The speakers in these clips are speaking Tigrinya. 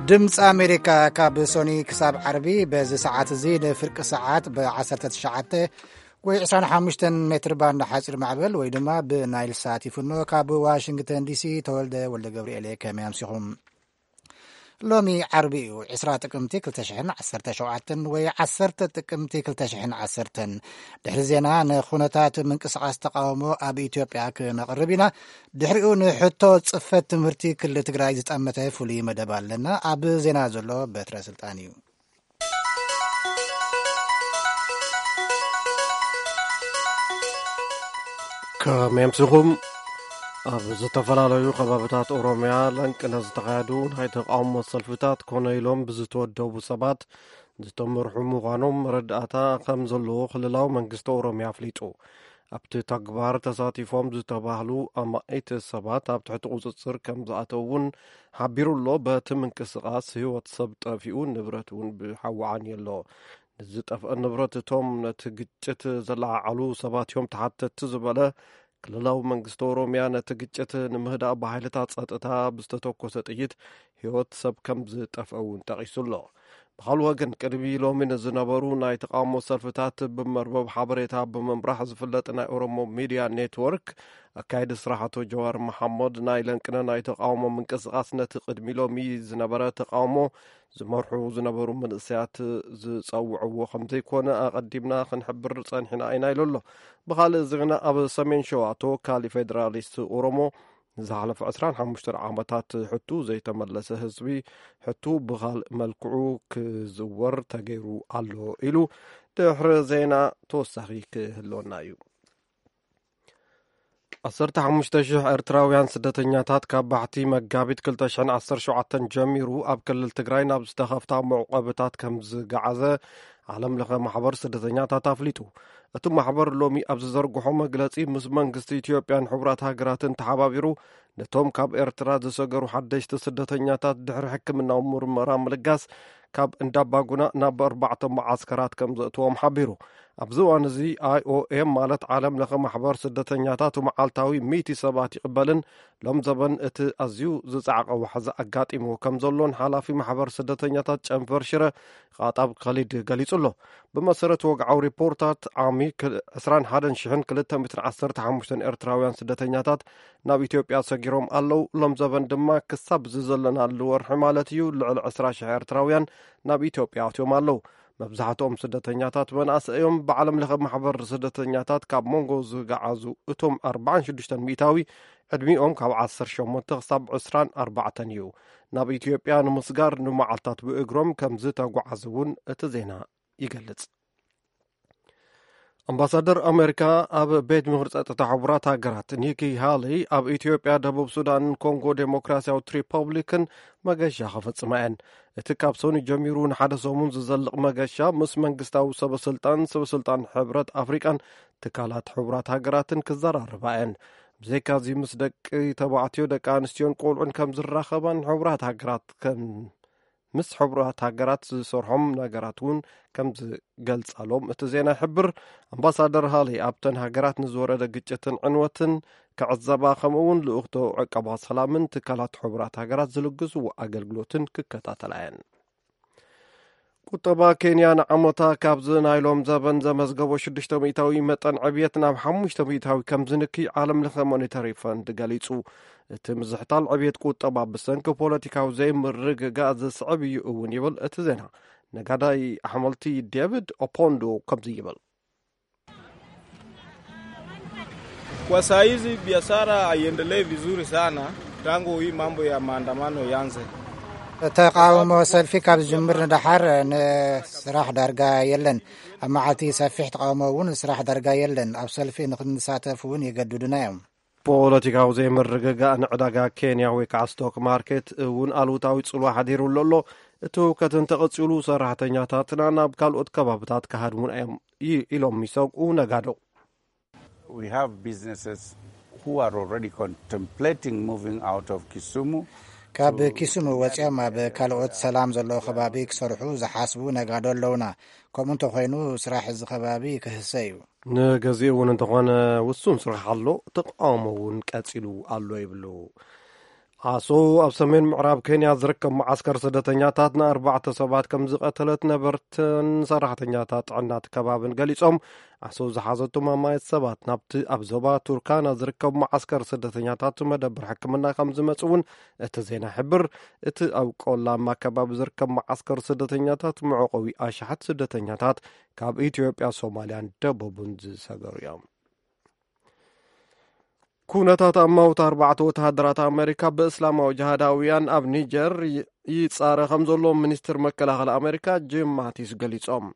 ድምፂ ኣሜሪካ ካብ ሶኒ ክሳብ ዓርቢ በዚ ሰዓት እዚ ንፍርቂ ሰዓት ብ ዓሰርተ ትሽዓተ ወይ ዕስራን ሓሙሽተን ሜትር ባንድ ሓፂር ማዕበል ወይ ድማ ብናይል ሳት ይፍኖ። ካብ ዋሽንግተን ዲሲ ተወልደ ወልደ ገብርኤል እየ። ከመይ ኣምሲኹም? ሎሚ ዓርቢ እዩ፣ ዕስራ ጥቅምቲ ክልተ ሽሕን ዓሰርተ ሸውዓተን ወይ ዓሰርተ ጥቅምቲ ክልተ ሽሕን ዓሰርተን። ድሕሪ ዜና ንኹነታት ምንቅስቃስ ተቃውሞ ኣብ ኢትዮጵያ ክነቕርብ ኢና። ድሕሪኡ ንሕቶ ጽፈት ትምህርቲ ክልል ትግራይ ዝጠመተ ፍሉይ መደብ ኣለና። ኣብ ዜና ዘሎ በትረ ስልጣን እዩ። ከመይ ኣምሲኹም? ኣብ ዝተፈላለዩ ከባብታት ኦሮምያ ለንቅነ ዝተኻየዱ ናይ ተቃውሞ ሰልፍታት ኮነ ኢሎም ብዝተወደቡ ሰባት ዝተመርሑ ምዃኖም መረዳእታ ከም ዘለዎ ክልላዊ መንግስቲ ኦሮምያ ኣፍሊጡ። ኣብቲ ተግባር ተሳቲፎም ዝተባህሉ ኣማኢት ሰባት ኣብ ትሕቲ ቁጽጽር ከም ዝኣተው እውን ሓቢሩ ኣሎ። በቲ ምንቅስቓስ ህይወት ሰብ ጠፊኡ፣ ንብረት እውን ብሓዊ ዓንዩ ኣሎ። ንዝጠፍአ ንብረት እቶም ነቲ ግጭት ዘለዓዓሉ ሰባት እዮም ተሓተትቲ ዝበለ ክልላዊ መንግስቲ ኦሮምያ፣ ነቲ ግጭት ንምህዳእ ብሓይልታት ጸጥታ ብዝተተኮሰ ጥይት ህይወት ሰብ ከም ዝጠፍአ እውን ጠቒሱ ኣሎ። ብኻልእ ወገን፣ ቅድሚ ሎሚ ንዝነበሩ ናይ ተቃውሞ ሰልፍታት ብመርበብ ሓበሬታ ብምምራሕ ዝፍለጥ ናይ ኦሮሞ ሚድያ ኔትወርክ ኣካየዲ ስራሕ ኣቶ ጀዋር መሓመድ፣ ናይ ለንቅነ ናይ ተቃውሞ ምንቅስቃስ ነቲ ቅድሚ ሎሚ ዝነበረ ተቃውሞ ዝመርሑ ዝነበሩ መንእሰያት ዝጸውዕዎ ከም ዘይኮነ ኣቐዲምና ክንሕብር ጸኒሕና ኢና ኢሉ ኣሎ። ብኻልእ ዜና፣ ኣብ ሰሜን ሸዋ ተወካሊ ፌደራሊስት ኦሮሞ ንዝሓለፈ ዕስራን ሓሙሽተን ዓመታት ሕቱ ዘይተመለሰ ህዝቢ ሕቱ ብኻልእ መልክዑ ክዝወር ተገይሩ ኣሎ ኢሉ ድሕሪ ዜና ተወሳኺ ክህልወና እዩ። ዓሰርተ ሓሙሽተ ሽሕ ኤርትራውያን ስደተኛታት ካብ ባሕቲ መጋቢት ክልተ ሽሕን ዓሰርተ ሸውዓተን ጀሚሩ ኣብ ክልል ትግራይ ናብ ዝተኸፍታ መዕቆብታት ከም ዝገዓዘ ዓለም ለኸ ማሕበር ስደተኛታት ኣፍሊጡ። እቲ ማሕበር ሎሚ ኣብ ዝዘርግሖ መግለጺ፣ ምስ መንግስቲ ኢትዮጵያን ሕቡራት ሃገራትን ተሓባቢሩ ነቶም ካብ ኤርትራ ዝሰገሩ ሓደሽቲ ስደተኛታት ድሕሪ ሕክምናዊ ምርመራ ምልጋስ ካብ እንዳባጉና ናብ ኣርባዕተ መዓስከራት ከም ዘእትዎም ሓቢሩ። ኣብዚ እዋን እዚ ኣይ ኦ ኤም ማለት ዓለም ለኸ ማሕበር ስደተኛታት መዓልታዊ ሚእቲ ሰባት ይቕበልን ሎም ዘበን እቲ ኣዝዩ ዝጸዓቐ ዋሕዚ ኣጋጢምዎ ከም ዘሎን ሓላፊ ማሕበር ስደተኛታት ጨንፈር ሽረ ቃጣብ ከሊድ ገሊጹ ኣሎ። ብመሰረት ወግዓዊ ሪፖርታት ዓሚ ክል-፣ ዕስራን ሓደን ሽሕን ክልተ ሚእትን ዓሰርተ ሓሙሽተን ኤርትራውያን ስደተኛታት ናብ ኢትዮጵያ ሰጊሮም ኣለዉ። ሎም ዘበን ድማ ክሳብ እዚ ዘለናሉ ወርሒ ማለት እዩ ልዕሊ ዕስራ ሽሕ ኤርትራውያን ናብ ኢትዮጵያ ኣትዮም ኣለዉ። መብዛሕትኦም ስደተኛታት መናእሰይ እዮም። ብዓለም ለኸ ማሕበር ስደተኛታት ካብ መንጎ ዝገዓዙ እቶም ኣርባዓን ሽዱሽተን ሚእታዊ ዕድሚኦም ካብ ዓሰርተ ሸሞንተ ክሳብ ዕስራን ኣርባዕተን እዩ። ናብ ኢትዮጵያ ንምስጋር ንመዓልታት ብእግሮም ከም ዝተጓዓዙ እውን እቲ ዜና ይገልጽ። ኣምባሳደር ኣሜሪካ ኣብ ቤት ምኽሪ ጸጥታ ሕቡራት ሃገራት ኒኪ ሃሊ ኣብ ኢትዮጵያ፣ ደቡብ ሱዳንን ኮንጎ ዴሞክራሲያዊት ሪፐብሊክን መገሻ ክፍጽማ እየን። እቲ ካብ ሶኒ ጀሚሩ ንሓደ ሰሙን ዝዘልቕ መገሻ ምስ መንግስታዊ ሰበስልጣን፣ ሰበስልጣን ሕብረት ኣፍሪቃን ትካላት ሕቡራት ሃገራትን ክዘራረባ እየን። ብዘይካዚ ምስ ደቂ ተባዕትዮ፣ ደቂ ኣንስትዮን ቆልዑን ከም ዝራኸባን ሕቡራት ሃገራት ከም ምስ ሕቡራት ሃገራት ዝሰርሖም ነገራት እውን ከም ዝገልጻሎም እቲ ዜና ይሕብር። ኣምባሳደር ሃሊ ኣብተን ሃገራት ንዝወረደ ግጭትን ዕንወትን ክዕዘባ፣ ከምኡ እውን ልኡኽቶ ዕቀባ ሰላምን ትካላት ሕቡራት ሃገራት ዝልግስዎ ኣገልግሎትን ክከታተላ እየን። ቁጠባ ኬንያ ንዓመታ ካብዚ ናይ ሎም ዘበን ዘመዝገቦ ሽዱሽተ ሚእታዊ መጠን ዕብየት ናብ ሓሙሽተ ሚእታዊ ከም ዝንኪ ዓለም ለኸ ሞኔታሪ ፈንድ ገሊጹ። እቲ ምዝሕታል ዕብየት ቁጠባ ብሰንኪ ፖለቲካዊ ዘይምርግጋእ ዝስዕብ እዩ እውን ይብል እቲ ዜና። ነጋዳይ ኣሕመልቲ ዴቪድ ኦፖንዶ ከምዚ ይብል። Kwa saa hizi biashara haiendelei vizuri sana tangu hii mambo ya maandamano ianze. ተቃውሞ ሰልፊ ካብ ዝጅምር ንደሓር ንስራሕ ዳርጋ የለን። ኣብ መዓልቲ ሰፊሕ ተቃውሞ እውን ስራሕ ዳርጋ የለን። ኣብ ሰልፊ ንክንሳተፍ እውን ይገድዱና እዮም። ፖለቲካዊ ዘይምርግጋእ ንዕዳጋ ኬንያ ወይ ከዓ ስቶክ ማርኬት እውን ኣሉታዊ ጽልዋ ሓዲሩሉ ኣሎ። እቲ ህውከት እንተቐጺሉ፣ ሰራሕተኛታትና ናብ ካልኦት ከባብታት ክሃድሙና እዮም ይ-፣ ኢሎም ይሰግኡ ነጋዶ። We have businesses who are already contemplating moving out of Kisumu ካብ to ኪሱሙ ወፂኦም ኣብ ካልኦት ሰላም ዘለዎ ከባቢ ክሰርሑ ዝሓስቡ ነጋዶ ኣለውና። ከምኡ እንተኮይኑ፣ ስራሕ እዚ ከባቢ ክህሰ እዩ። ንገዚኡ እውን እንተኾነ፣ ውሱን ስራሕ ኣሎ፣ ተቃውሞ እውን ቀፂሉ ኣሎ ይብሉ። ኣሶ ኣብ ሰሜን ምዕራብ ኬንያ ዝርከብ መዓስከር ስደተኛታት ንኣርባዕተ ሰባት ከም ዝቐተለት ነበርትን ሰራሕተኛታት ጥዕና እቲ ከባብን ገሊጾም። ኣሶ ዝሓዘቶም ኣማየት ሰባት ናብቲ ኣብ ዞባ ቱርካና ዝርከብ መዓስከር ስደተኛታት መደብር ሕክምና ከም ዝመጽ እውን እቲ ዜና ይሕብር። እቲ ኣብ ቆላማ ከባቢ ዝርከብ መዓስከር ስደተኛታት መዕቆቢ ኣሽሓት ስደተኛታት ካብ ኢትዮጵያ፣ ሶማልያን ደቡብን ዝሰገሩ እዮም። ኩነታት ኣማውት ኣርባዕተ ወተሃደራት ኣመሪካ ብእስላማዊ ጅሃዳውያን ኣብ ኒጀር ይ-፣ ይጻረ ከም ዘሎ ሚኒስትር መከላኸሊ ኣመሪካ ጂም ማቲስ ገሊጾም።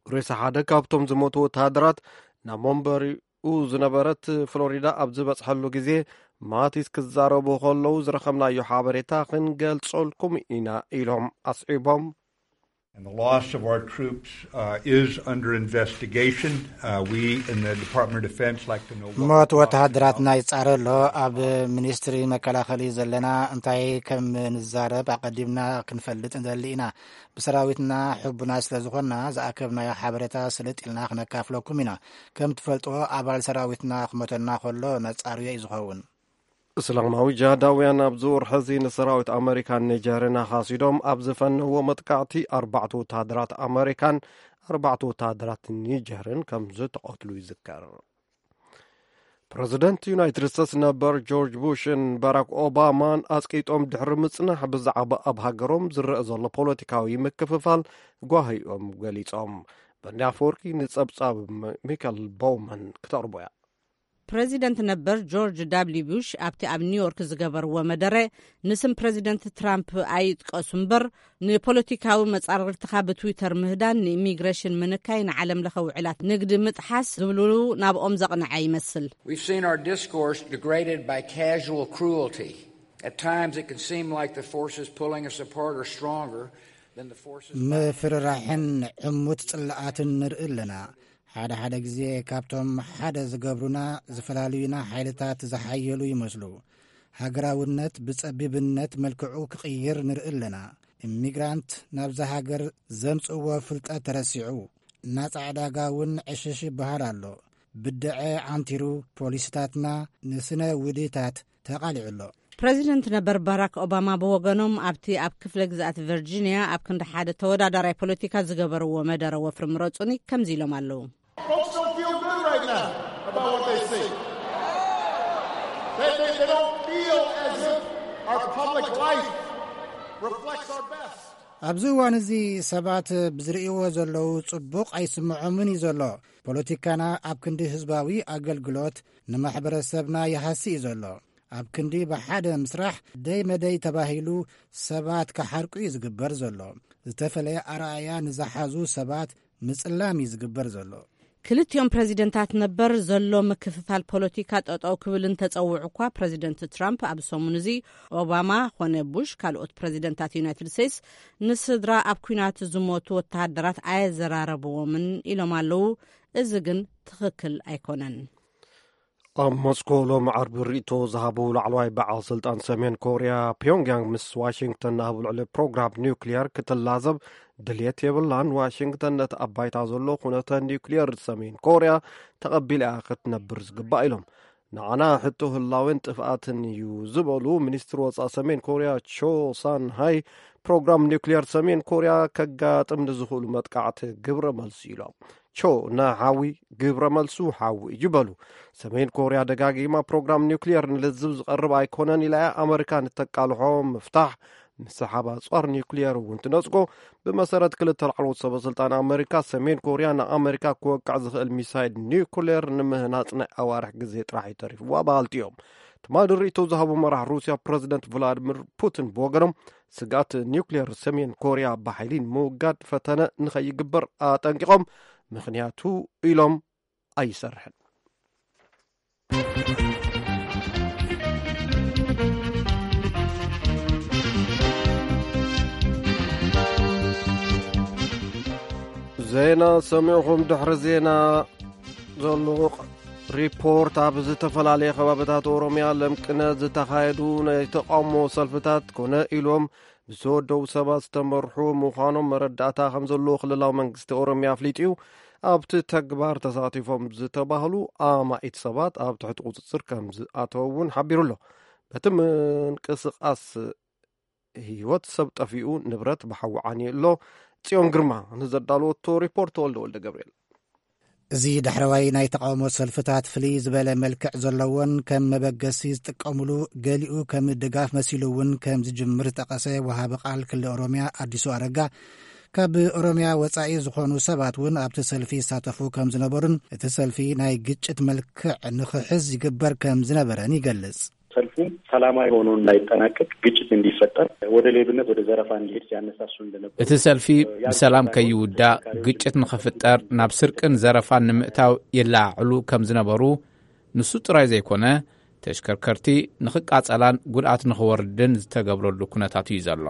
ሬሳ ሓደ ካብቶም ዝሞቱ ወተሃደራት ናብ መንበሪኡ ዝነበረት ፍሎሪዳ ኣብ ዝበጽሐሉ ግዜ፣ ማቲስ ክዛረቡ ከለዉ ዝረኸብናዮ ሓበሬታ ክንገልጸልኩም ኢና ኢሎም ኣስዒቦም። And the loss of our troops, uh, is under investigation. Uh, we in the Department of Defense like to know what ሞት the loss ወተሃደራትና ይጻረ ኣሎ። ኣብ ሚኒስትሪ መከላኸሊ ዘለና እንታይ ከም ንዛረብ ኣቐዲምና ክንፈልጥ ንደሊ ኢና። ብሰራዊትና ሕቡና ስለ ዝኾንና ዝኣከብናዮ ሓበሬታ ስልጥ ኢልና ክነካፍለኩም ኢና። ከም ትፈልጥዎ ኣባል ሰራዊትና ክሞተና ከሎ ነጻርዮ እዩ ዝኸውን። እስላማዊ ጅሃዳውያን ኣብዚ ወርሒ እዚ ንሰራዊት ኣመሪካን ኒጀርን ኣኻሲዶም ኣብ ዝፈነዎ መጥቃዕቲ ኣርባዕተ ወተሃደራት ኣመሪካን ኣርባዕተ ወተሃደራት ኒጀርን ከም ዝተቐትሉ ይዝከር። ፕረዚደንት ዩናይትድ ስቴትስ ነበር ጆርጅ ቡሽን ባራክ ኦባማን ኣጽቂጦም ድሕሪ ምጽናሕ ብዛዕባ ኣብ ሃገሮም ዝረአ ዘሎ ፖለቲካዊ ምክፍፋል ጓሂኦም ገሊጾም። በኒ ኣፈወርቂ ንጸብጻብ ሚ-፣ ሚካኤል ቦውመን ክተቕርቦ እያ። ፕረዚደንት ነበር ጆርጅ ዳብልዩ ቡሽ ኣብቲ ኣብ ኒውዮርክ ዝገበርዎ መደረ፣ ንስም ፕረዚደንት ትራምፕ ኣይጥቀሱ እምበር፣ ንፖለቲካዊ መጻርርትኻ ብትዊተር ምህዳን፣ ንኢሚግሬሽን ምንካይ፣ ንዓለም ለኸ ውዕላት ንግዲ ምጥሓስ ዝብሉ ናብኦም ዘቕንዐ ይመስል። We've seen our discourse degraded by casual cruelty. At times it can seem like the forces pulling us apart are stronger than the forces ምፍርራሕን ዕሙት ጽልኣትን ንርኢ ኣለና። ሓደ ሓደ ግዜ ካብቶም ሓደ ዝገብሩና ዝፈላልዩና ሓይልታት ዝሓየሉ ይመስሉ። ሃገራውነት ብጸቢብነት መልክዑ ክቕይር ንርኢ ኣለና። ኢሚግራንት ናብዛ ሃገር ዘምጽእዎ ፍልጠት ተረሲዑ፣ ናጻ ዕዳጋ እውን ዕሽሽ ይበሃል ኣሎ። ብድዐ ዓንቲሩ፣ ፖሊስታትና ንስነ ውዲታት ተቓሊዑ ኣሎ። ፕረዚደንት ነበር ባራክ ኦባማ ብወገኖም ኣብቲ ኣብ ክፍለ ግዝኣት ቨርጂንያ ኣብ ክንዲ ሓደ ተወዳዳራይ ፖለቲካ ዝገበርዎ መደረ ወፍሪ ምረጹኒ ከምዚ ኢሎም ኣለዉ። Folks don't feel good right now about what they see. They, they, they don't feel as if our public life reflects our best. ኣብዚ እዋን እዚ ሰባት ብዝርእይዎ ዘለዉ ጽቡቕ ኣይስምዖምን እዩ ዘሎ። ፖለቲካና ኣብ ክንዲ ህዝባዊ ኣገልግሎት ንማሕበረሰብና ይሃሲ እዩ ዘሎ። ኣብ ክንዲ ብሓደ ምስራሕ ደይ መደይ ተባሂሉ ሰባት ክሓርቁ እዩ ዝግበር ዘሎ። ዝተፈለየ ኣረኣእያ ንዝሓዙ ሰባት ምጽላም እዩ ዝግበር ዘሎ። ክልቲኦም ፕረዚደንታት ነበር ዘሎ ምክፍፋል ፖለቲካ ጠጠው ክብል እንተጸውዑ እኳ፣ ፕረዚደንት ትራምፕ ኣብ ሰሙን እዚ ኦባማ ኾነ ቡሽ ካልኦት ፕረዚደንታት ዩናይትድ ስቴትስ ንስድራ ኣብ ኲናት ዝሞቱ ወተሃደራት ኣየዘራረብዎምን ኢሎም ኣለዉ። እዚ ግን ትኽክል ኣይኮነን። ኣብ ሞስኮ ሎሚ ዓርቢ ርእይቶ ዝሃቡ ላዕለዋይ በዓል ስልጣን ሰሜን ኮርያ፣ ፒዮንግያንግ ምስ ዋሽንግተን ኣብ ልዕሊ ፕሮግራም ኒውክሊየር ክትላዘብ ድልየት የብላን። ዋሽንግተን ነቲ ኣብ ባይታ ዘሎ ኩነተ ኒውክሊየር ሰሜን ኮርያ ተቐቢላ እያ ክትነብር ዝግባእ ኢሎም። ንዓና ሕቶ ህላዌን ጥፍኣትን እዩ ዝበሉ ሚኒስትር ወጻኢ ሰሜን ኮርያ ቾ ሳን ሃይ፣ ፕሮግራም ኒውክሊየር ሰሜን ኮርያ ከጋጥም ንዝኽእሉ መጥቃዕቲ ግብረ መልሲ ኢሎም። ቾ ንሓዊ ግብረ መልሱ ሓዊ እዩ በሉ። ሰሜን ኮርያ ደጋጊማ ፕሮግራም ኒውክሊየር ንልዝብ ዝቐርብ ኣይኮነን ኢላ እያ። ኣመሪካ ንተቃልሖ ምፍታሕ ምስሓብ ኣጽዋር ኒውክሊየር እውን ትነጽጎ። ብመሰረት ክልተ ላዕለዎት ሰበ ስልጣን ኣመሪካ፣ ሰሜን ኮርያ ንኣመሪካ ክወቅዕ ዝኽእል ሚሳይል ኒውክሊየር ንምህናጽ ናይ ኣዋርሕ ግዜ ጥራሕ እዩ ተሪፍዋ በሃልቲ እዮም። ትማሊ ርእይቶ ዝሃቡ መራሕ ሩስያ ፕረዚደንት ቭላድሚር ፑቲን ብወገኖም፣ ስግኣት ኒውክሊየር ሰሜን ኮርያ ብሓይሊ ንምውጋድ ፈተነ ንኸይግበር ኣጠንቂቖም። ምኽንያቱ ኢሎም ኣይሰርሕን። ዜና ሰሚዕኹም። ድሕሪ ዜና ዘሎ ሪፖርት፣ ኣብ ዝተፈላለየ ከባብታት ኦሮምያ ለምቅነ ዝተኻየዱ ናይ ተቃውሞ ሰልፍታት ኮነ ኢሎም ብዝተወደቡ ሰባት ዝተመርሑ ምዃኖም መረዳእታ ከም ዘለዎ ክልላዊ መንግስቲ ኦሮምያ ኣፍሊጡ እዩ። ኣብቲ ተግባር ተሳቲፎም ዝተባህሉ ኣማኢት ሰባት ኣብ ትሕቲ ቁጽጽር ከም ዝኣተዉ እውን ሓቢሩ ኣሎ። በቲ ምንቅስቃስ ህይወት ሰብ ጠፊኡ፣ ንብረት ብሓዊ ዓንዩ ኣሎ። ጽዮን ግርማ ንዘዳለወቶ ሪፖርት፣ ተወልደ ወልደ ገብርኤል። እዚ ዳሕረዋይ ናይ ተቓውሞ ሰልፍታት ፍልይ ዝበለ መልክዕ ዘለዎን ከም መበገሲ ዝጥቀሙሉ፣ ገሊኡ ከም ድጋፍ መሲሉ እውን ከም ዝጅምር ዝጠቐሰ ወሃቢ ቃል ክልል ኦሮምያ ኣዲሱ ኣረጋ፣ ካብ ኦሮምያ ወጻኢ ዝኾኑ ሰባት እውን ኣብቲ ሰልፊ ይሳተፉ ከም ዝነበሩን እቲ ሰልፊ ናይ ግጭት መልክዕ ንኽሕዝ ይግበር ከም ዝነበረን ይገልጽ። ሰልፉ ሰላማዊ ሆኖ እንዳይጠናቀቅ፣ ግጭት እንዲፈጠር፣ ወደ ሌብነት፣ ወደ ዘረፋ እንዲሄድ ሲያነሳሱ እንደነበሩ እቲ ሰልፊ ብሰላም ከይውዳእ፣ ግጭት ንኽፍጠር፣ ናብ ስርቅን ዘረፋን ንምእታው ይለዓዕሉ ከም ዝነበሩ፣ ንሱ ጥራይ ዘይኮነ፣ ተሽከርከርቲ ንኽቃጸላን ጉድኣት ንኽወርድን ዝተገብረሉ ኩነታት እዩ ዘሎ።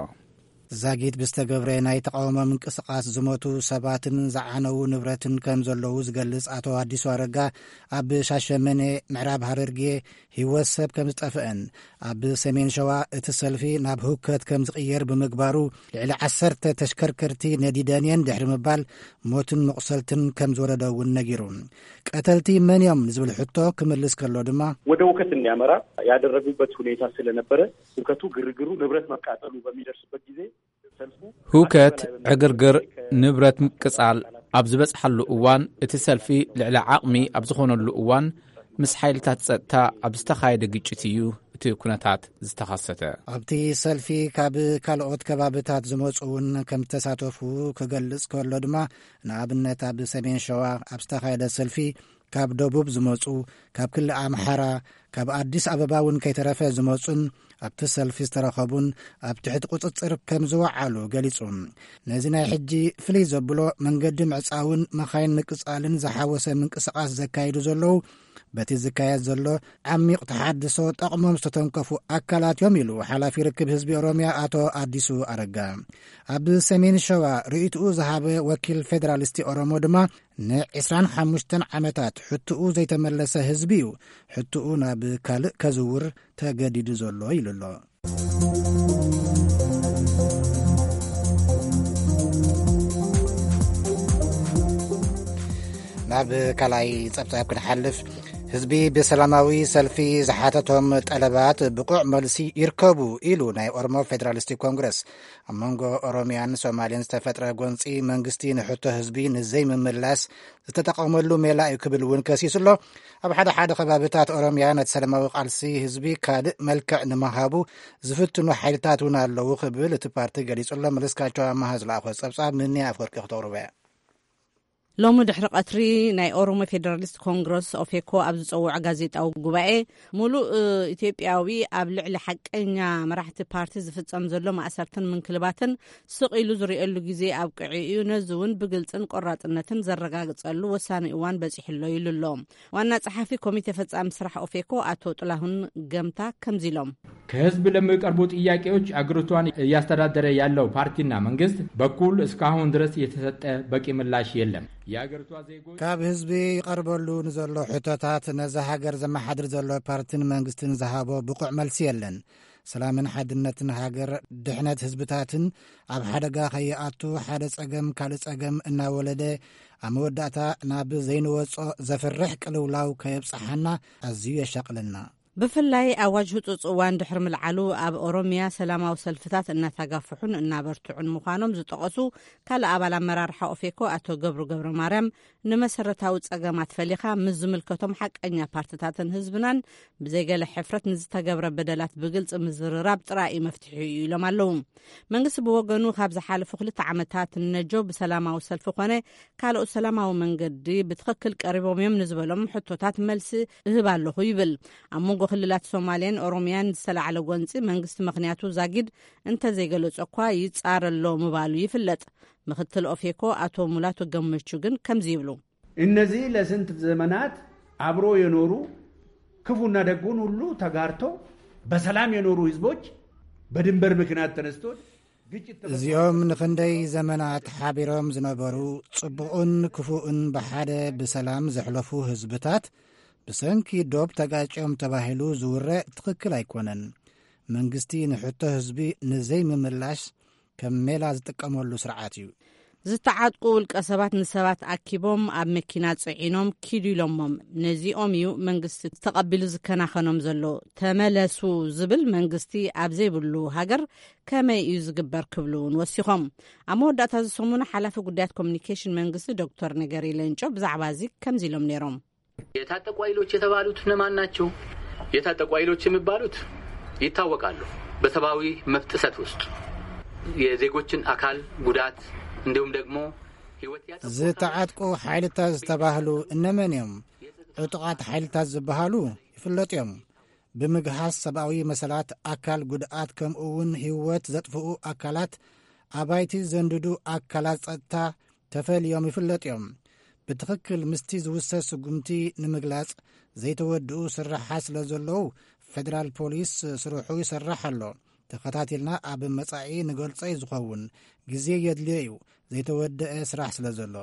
ዛጊት ብዝተገብረ ናይ ተቓውሞ ምንቅስቓስ ዝሞቱ ሰባትን ዝዓነዉ ንብረትን ከም ዘለዉ ዝገልጽ ኣቶ ኣዲሱ ኣረጋ፣ ኣብ ሻሸመኔ፣ ምዕራብ ሃረርጌ፣ ህይወት ሰብ ከም ዝጠፍአን፣ ኣብ ሰሜን ሸዋ እቲ ሰልፊ ናብ ህውከት ከም ዝቕየር ብምግባሩ፣ ልዕሊ ዓሰርተ ተሽከርከርቲ ነዲደን እየን ድሕሪ ምባል፣ ሞትን መቑሰልትን ከም ዝወረደ እውን ነጊሩ። ቀተልቲ መን እዮም ንዝብል ሕቶ ክምልስ ከሎ ድማ፣ ወደ ውከት እንዲያመራ ያደረጉበት ሁኔታ ስለነበረ፣ ሁከቱ፣ ግርግሩ፣ ንብረት መቃጠሉ በሚደርስበት ጊዜ፣ ሰልፉ ሁከት፣ ዕግርግር፣ ንብረት ምቅጻል ኣብ ዝበጽሓሉ እዋን፣ እቲ ሰልፊ ልዕሊ ዓቕሚ ኣብ ዝኾነሉ እዋን፣ ምስ ሓይልታት ጸጥታ ኣብ ዝተኻየደ ግጭት እዩ እቲ ኩነታት ዝተኸሰተ። ኣብቲ ሰልፊ ካብ ካልኦት ከባብታት ዝመጹ እውን ከም ዝተሳተፉ ክገልጽ ከሎ ድማ፣ ንኣብነት ኣብ ሰሜን ሸዋ ኣብ ዝተኻየደ ሰልፊ ካብ ደቡብ ዝመጹ፣ ካብ ክልል ኣምሓራ፣ ካብ ኣዲስ ኣበባ እውን ከይተረፈ ዝመጹን ኣብቲ ሰልፊ ዝተረኸቡን ኣብ ትሕቲ ቁጽጽር ከም ዝወዓሉ ገሊጹ። ነዚ ናይ ሕጂ ፍልይ ዘብሎ፣ መንገዲ ምዕጻውን መኻይን ምቅጻልን ዝሓወሰ ምንቅስቓስ ዘካይዱ ዘለዉ፣ በቲ ዝካየድ ዘሎ ዓሚቕ ተሓድሶ ጠቕሞም ዝተተንከፉ ኣካላት እዮም ኢሉ ሓላፊ ርክብ ህዝቢ ኦሮምያ ኣቶ ኣዲሱ ኣረጋ። ኣብ ሰሜን ሸዋ ርእይትኡ ዝሃበ ወኪል ፌደራሊስቲ ኦሮሞ ድማ፣ ንዕስራን ሓሙሽተን ዓመታት ሕትኡ ዘይተመለሰ ህዝቢ እዩ ሕትኡ ናብ ካልእ ከዝውር ተገዲዱ ዘሎ ኢሉ ኣሎ። ናብ ካልኣይ ጸብጻብ ክንሓልፍ፣ ህዝቢ ብሰላማዊ ሰልፊ ዝሓተቶም ጠለባት ብቑዕ መልሲ ይርከቡ ኢሉ ናይ ኦሮሞ ፌደራሊስቲ ኮንግረስ። ኣብ መንጎ ኦሮምያን ሶማሌን ዝተፈጥረ ጎንጺ፣ መንግስቲ ንሕቶ ህዝቢ ንዘይምምላስ ዝተጠቐመሉ ሜላ እዩ ክብል እውን ከሲሱ ኣሎ። ኣብ ሓደ ሓደ ከባብታት ኦሮምያ ነቲ ሰላማዊ ቃልሲ ህዝቢ ካልእ መልክዕ ንምሃቡ ዝፍትኑ ሓይልታት እውን ኣለዉ ክብል እቲ ፓርቲ ገሊጹ ኣሎ። መለስካቸው ኣማሃ ዝለኣኾ ጸብጻብ ንንያ ኣፍወርቂ ክተቕርቦ እያ። ሎሚ ድሕሪ ቀትሪ ናይ ኦሮሞ ፌደራሊስት ኮንግረስ፣ ኦፌኮ፣ ኣብ ዝጸውዖ ጋዜጣዊ ጉባኤ፣ ሙሉእ ኢትዮጵያዊ ኣብ ልዕሊ ሓቀኛ መራሕቲ ፓርቲ ዝፍጸም ዘሎ ማእሰርትን ምንክልባትን ስቕ ኢሉ ዝርእየሉ ግዜ ኣብቂዑ እዩ። ነዚ እውን ብግልጽን ቆራጽነትን ዘረጋግጸሉ ወሳኒ እዋን በጺሑ ኣሎ ኢሉ ኣሎ። ዋና ጸሓፊ ኮሚቴ ፈጻሚ ስራሕ ኦፌኮ ኣቶ ጥላሁን ገምታ ከምዚ ኢሎም። ከህዝብ ለሚቀርቡ ጥያቄዎች አገሪቷን እያስተዳደረ ያለው ፓርቲና መንግስት በኩል እስካሁን ድረስ የተሰጠ በቂ ምላሽ የለም። የአገሪቷ ዜጎች ካብ ህዝቢ ይቐርበሉ ንዘሎ ሕቶታት፣ ነዛ ሃገር ዘመሓድር ዘሎ ፓርቲን መንግስትን ዝሃቦ ብቑዕ መልሲ የለን። ሰላምን ሓድነትን ሃገር፣ ድሕነት ህዝብታትን ኣብ ሓደጋ ከይኣቱ፣ ሓደ ጸገም ካልእ ጸገም እናወለደ፣ ኣብ መወዳእታ ናብ ዘይንወጾ ዘፍርሕ ቅልውላው ከየብጽሓና ኣዝዩ የሻቕለና። ብፍላይ ኣዋጅ ህጹጽ እዋን ድሕሪ ምልዓሉ፣ ኣብ ኦሮምያ ሰላማዊ ሰልፍታት እናተጋፍሑን እናበርትዑን ምዃኖም ዝጠቐሱ ካልእ ኣባል ኣመራርሓ ኦፌኮ ኣቶ ገብሩ ገብረ ማርያም፣ ንመሰረታዊ ጸገማት ፈሊኻ ምስ ዝምልከቶም ሓቀኛ ፓርትታትን ህዝብናን ብዘይገለ ሕፍረት ንዝተገብረ በደላት ብግልጺ ምዝርራብ ጥራይ እዩ መፍትሒኡ ኢሎም ኣለዉ። መንግስቲ ብወገኑ፣ ካብ ዝሓለፉ ክልተ ዓመታት ንነጆ ብሰላማዊ ሰልፊ ኮነ ካልኦት ሰላማዊ መንገዲ ብትኽክል ቀሪቦም እዮም ንዝበሎም ሕቶታት መልሲ እህብ ኣለኹ ይብል። ኣብ መንጎ ክልላት ሶማልያን ኦሮምያን ዝተላዕለ ጎንጺ፣ መንግስቲ ምኽንያቱ ዛጊድ እንተዘይገለጸ እኳ፣ ይጻረ ኣሎ ምባሉ ይፍለጥ። ምክትል ኦፌኮ ኣቶ ሙላቱ ገመቹ ግን ከምዚ ይብሉ። እነዚህ ለስንት ዘመናት አብሮ የኖሩ፣ ክፉና ደጉን ሁሉ ተጋርቶ በሰላም የኖሩ ህዝቦች በድንበር ምክንያት ተነስቶ ግጭት ተፈጥሮ እዚኦም ንኽንደይ ዘመናት ሓቢሮም ዝነበሩ፣ ጽቡቕን ክፉእን ብሓደ ብሰላም ዘሕለፉ ህዝብታት፣ ብሰንኪ ዶብ ተጋጭዮም ተባሂሉ ዝውረ ትኽክል ኣይኮነን። መንግስቲ ንሕቶ ህዝቢ ንዘይምምላሽ ከም ሜላ ዝጥቀመሉ ስርዓት እዩ። ዝተዓጥቁ ውልቀ ሰባት ንሰባት ኣኪቦም ኣብ መኪና ጽዒኖም ኪዱ ኢሎሞም። ነዚኦም እዩ መንግስቲ ተቐቢሉ ዝከናኸኖም ዘሎ። ተመለሱ ዝብል መንግስቲ ኣብ ዘይብሉ ሃገር ከመይ እዩ ዝግበር ክብሉ እውን ወሲኾም። ኣብ መወዳእታ እዚ ሰሙን ሓላፊ ጉዳያት ኮሚኒኬሽን መንግስቲ ዶክተር ነገሪ ሌንጮ ብዛዕባ እዚ ከምዚ ኢሎም ነይሮም። የታጠቁ ኃይሎች የተባሉት እነማን ናቸው? የታጠቁ ኃይሎች የሚባሉት ይታወቃሉ። በሰብአዊ መብት ጥሰት ውስጥ የዜጎችን አካል ጉዳት እንዲሁም ደግሞ ህይወት ያጠፉ ዝተዓጥቁ ሓይልታት ዝተባህሉ እነመን እዮም? ዕጡቓት ሓይልታት ዝበሃሉ ይፍለጡ እዮም። ብምግሃስ ሰብኣዊ መሰላት፣ ኣካል ጉድኣት፣ ከምኡ እውን ህይወት ዘጥፍኡ ኣካላት፣ ኣባይቲ ዘንድዱ ኣካላት ጸጥታ ተፈልዮም ይፍለጡ እዮም። ብትኽክል ምስቲ ዝውሰድ ስጉምቲ ንምግላጽ ዘይተወድኡ ስራሓት ስለ ዘለዉ፣ ፌደራል ፖሊስ ስርሑ ይሰርሕ ኣሎ። ተኸታቲልና ኣብ መጻኢ ንገልጾ እዩ ዝኸውን። ግዜ የድልዮ እዩ። ዘይተወደአ ስራሕ ስለ ዘሎ።